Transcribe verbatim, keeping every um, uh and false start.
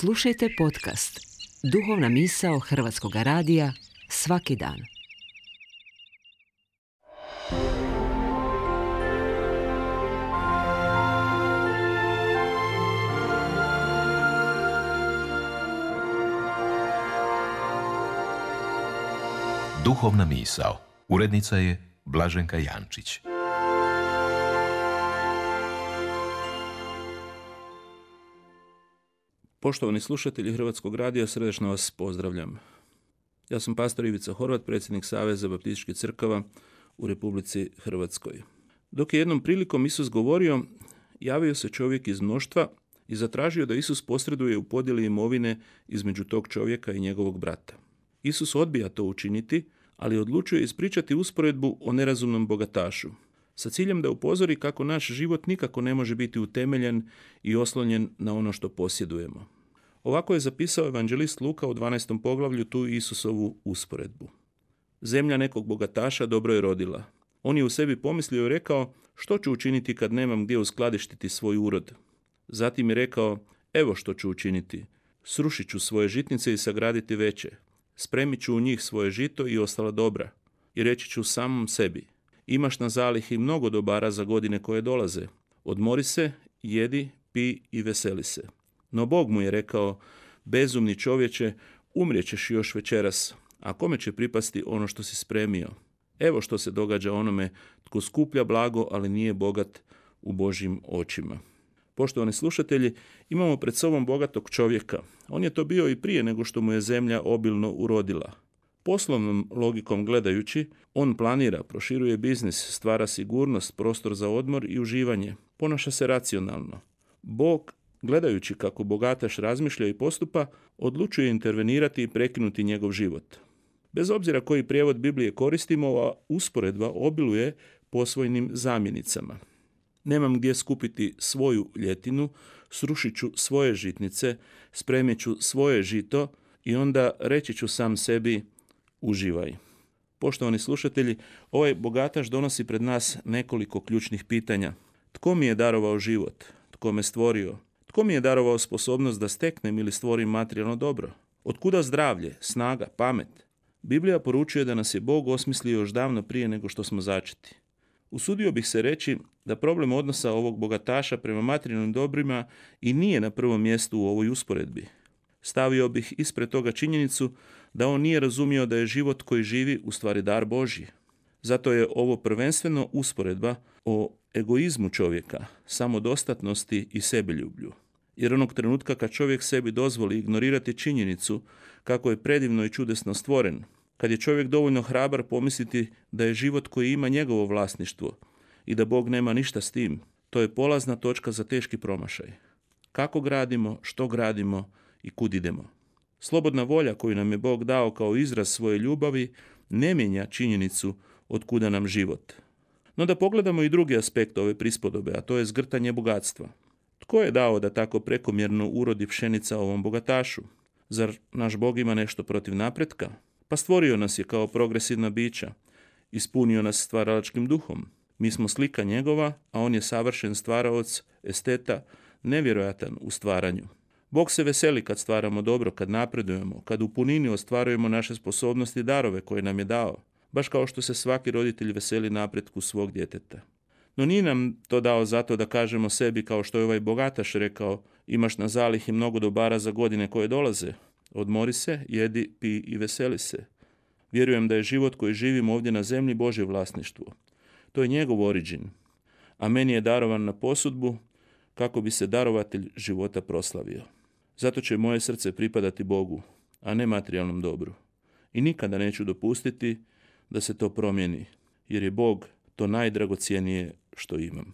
Slušajte podcast Duhovna misao Hrvatskog radija svaki dan. Duhovna misao. Urednica je Blaženka Jančić. Poštovani slušatelji Hrvatskog radija, srdačno vas pozdravljam. Ja sam pastor Ivica Horvat, predsjednik Saveza baptističkih crkava u Republici Hrvatskoj. Dok je jednom prilikom Isus govorio, javio se čovjek iz mnoštva i zatražio da Isus posreduje u podjeli imovine između tog čovjeka i njegovog brata. Isus odbija to učiniti, ali odlučuje ispričati usporedbu o nerazumnom bogatašu, sa ciljem da upozori kako naš život nikako ne može biti utemeljen i oslonjen na ono što posjedujemo. Ovako je zapisao evanđelist Luka u dvanaestom poglavlju tu Isusovu usporedbu. Zemlja nekog bogataša dobro je rodila. On je u sebi pomislio i rekao, što ću učiniti kad nemam gdje uskladištiti svoj urod? Zatim je rekao, evo što ću učiniti. Srušit ću svoje žitnice i sagraditi veće. Spremit ću u njih svoje žito i ostala dobra. I reći ću samom sebi, imaš na zalihi mnogo dobara za godine koje dolaze. Odmori se, jedi, pi i veseli se. No Bog mu je rekao, bezumni čovječe, umrijećeš još večeras, a kome će pripasti ono što si spremio? Evo što se događa onome tko skuplja blago, ali nije bogat u Božjim očima. Poštovani slušatelji, imamo pred sobom bogatog čovjeka. On je to bio i prije nego što mu je zemlja obilno urodila. Poslovnom logikom gledajući, on planira, proširuje biznis, stvara sigurnost, prostor za odmor i uživanje. Ponaša se racionalno. Bog, gledajući kako bogataš razmišlja i postupa, odlučuje intervenirati i prekinuti njegov život. Bez obzira koji prijevod Biblije koristimo, ova usporedba obiluje posvojnim zamjenicama. Nemam gdje skupiti svoju ljetinu, srušit ću svoje žitnice, spremit ću svoje žito i onda reći ću sam sebi, uživaj. Poštovani slušatelji, ovaj bogataš donosi pred nas nekoliko ključnih pitanja. Tko mi je darovao život? Tko me stvorio? Tko mi je darovao sposobnost da steknem ili stvorim materijalno dobro? Otkuda zdravlje, snaga, pamet? Biblija poručuje da nas je Bog osmislio još davno prije nego što smo začeti. Usudio bih se reći da problem odnosa ovog bogataša prema materijalnim dobrima i nije na prvom mjestu u ovoj usporedbi. Stavio bih ispred toga činjenicu da on nije razumio da je život koji živi u stvari dar Božji. Zato je ovo prvenstveno usporedba o egoizmu čovjeka, samodostatnosti i sebeljublju. Jer onog trenutka kad čovjek sebi dozvoli ignorirati činjenicu kako je predivno i čudesno stvoren, kad je čovjek dovoljno hrabar pomisliti da je život koji ima njegovo vlasništvo i da Bog nema ništa s tim, to je polazna točka za teški promašaj. Kako gradimo, što gradimo i kud idemo? Slobodna volja koju nam je Bog dao kao izraz svoje ljubavi ne mijenja činjenicu od kuda nam život. No da pogledamo i drugi aspekt ove prispodobe, a to je zgrtanje bogatstva. Tko je dao da tako prekomjerno urodi pšenica ovom bogatašu? Zar naš Bog ima nešto protiv napretka? Pa stvorio nas je kao progresivna bića, ispunio nas stvaralačkim duhom. Mi smo slika njegova, a on je savršen stvaraoc, esteta, nevjerojatan u stvaranju. Bog se veseli kad stvaramo dobro, kad napredujemo, kad u punini ostvarujemo naše sposobnosti i darove koje nam je dao, baš kao što se svaki roditelj veseli napretku svog djeteta. No nije nam to dao zato da kažemo sebi, kao što je ovaj bogataš rekao, imaš na zalihi mnogo dobara za godine koje dolaze. Odmori se, jedi, pi i veseli se. Vjerujem da je život koji živimo ovdje na zemlji Božje vlasništvo. To je njegov oriđin, a meni je darovan na posudbu kako bi se darovatelj života proslavio. Zato će moje srce pripadati Bogu, a ne materijalnom dobru. I nikada neću dopustiti da se to promijeni, jer je Bog to najdragocjenije što imam.